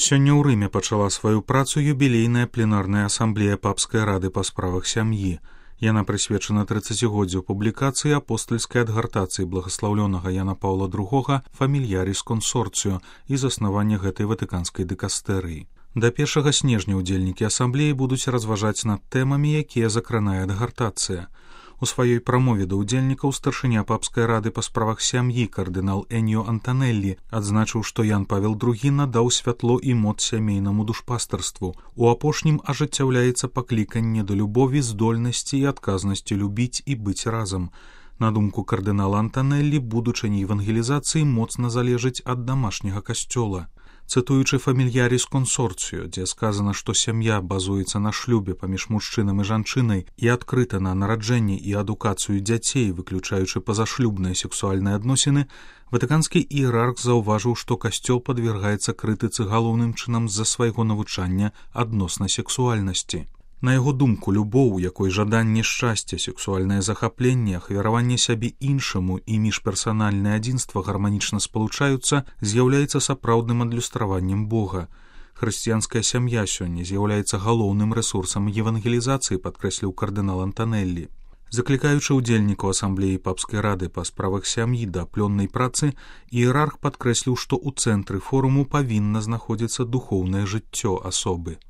Сёння ў Рыме пачала сваю працу юбілейная пленарная асамблея папскай рады па справах сям'і. Яна прысвечана 30годдзю публікацыі апостальскай адгартацыі благаслаўлёнага Яна Паўла II «Фамільяріс консорцыо» і заснавання гэтай ватыканскай дыкастэрыі. Да 1 снежня удзельнікі асамблеі будуць разважаць над тэмамі, якія закранае адгартацыя. У сваёй прамове да ўдзельнікаў старшыня папскай рады па справах сям'і кардынал Эньо Антанеллі адзначыў, што Ян Павел II надаў святло і моц сямейнаму душпастарству. У апошнім ажыццяўляецца пакліканне да любові, здольнасці і адказнасці любіць і быць разам. На думку кардынала Антанеллі, будучыня евангелізацыі моцна залежыць ад дамашняга касцёла. Цытуючы «Фамільяріс консорцыо», дзе сказана, што сям'я базуецца на шлюбе паміж мужчынам і жанчынай і адкрыта на нараджэнне і адукацыю дзяцей, выключаючы пазашлюбныя сексуальныя адносіны, ватыканскі іерарх заўважыў, што касцёл падвергаецца крытыцы галоўным чынам з-за свайго навучання адносна сексуальнасці. На яго думку, любоў, у якой жаданне шчасця, сексуальнае захапленне, ахвяраванне сябе іншаму і міжперсанальнае адзінства гарманічна спалучаюцца, з'яўляецца сапраўдным адлюстраваннем Бога. Хрысціянская сям'я сёння з'яўляецца галоўным рэсурсам евангелізацыі, падкрэсліў кардынал Антанеллі. Заклікаючы ўдзельнікаў асамблеі папскай рады па справах сям'і да плённай працы, іерарх падкрэсліў, што ў цэнтры форуму павінна знаходзіцца духоўнае жыццё асобы.